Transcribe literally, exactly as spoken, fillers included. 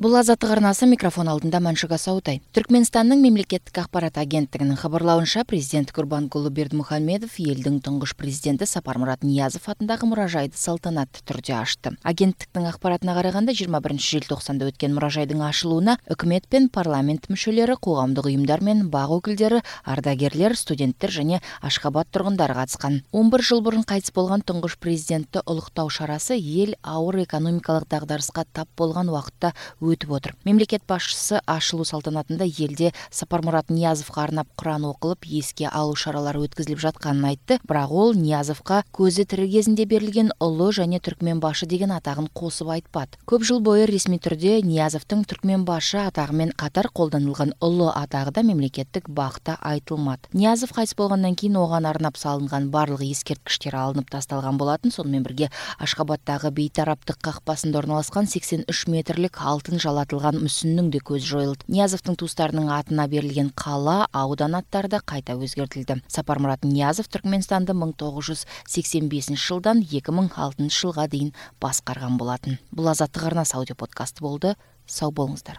Бул Азаттык арнасы, микрофон алдында Маншуга Саутай. Түркмөнстандын мемлекеттик акпарат агенттигинин кабарлауынча, президент Курбангулы Бердимухамедов элдин туңгуш президенти Сапармурат Ниязов атындагы муражайды салтанаттуу түрдө ачты. Агенттиктин акпаратына караганда, жыйырма биринчи желтоқсанда өткөн муражайдын ачылууна өкмөт пен парламент мүчөлөрү, коомдук уюмдар мен бак өкүлдөрү, ардагерлер, студенттер жана Ашхабад тургундары катышкан. он бир жыл мурун кайтыс болгон туңгуш президентти улуктоо шарасы эл ауыр экономикалык дагдарыска тап болгон убакытта өтүп отур. Мемлекет башчысы ачылуу салтанатында элде Сапармурат Ниязовго арнап Куран окулуп, эске алуу шаралары өткөзүлүп жатканын айтты. Бирок ол Ниязовго көзү тирүү кезинде берилген улуу және түркмөн башы деген атагын косуп айтпады. Көп жыл бою ресми түрдө Ниязовдун түркмөн башы атагы менен катар колдонулган улуу атагы да мемлекеттик бакта айтылмады. Ниязов кайтыс болгондон кийин оган арнап салынган барлык эскерткичтер алынып тасталган болатын. Сонун менен бирге Ашхабаддагы бейтараптык какпасында орналашкан сексен үч метрлик алтын жалатылган мүсүннүн да көзү жоюлду. Ниязовдун туустарынын атына берилген кала, аудан аттары да кайта өзгөртүлдү. Сапармурат Ниязов Түркмөнстанды миң тогуз жүз сексен бешинчи жылдан эки миң алтынчы жылга дейин башкарган болатын. Бул Азаттык арнасы аудио подкасты болду. Сау болуңуздар.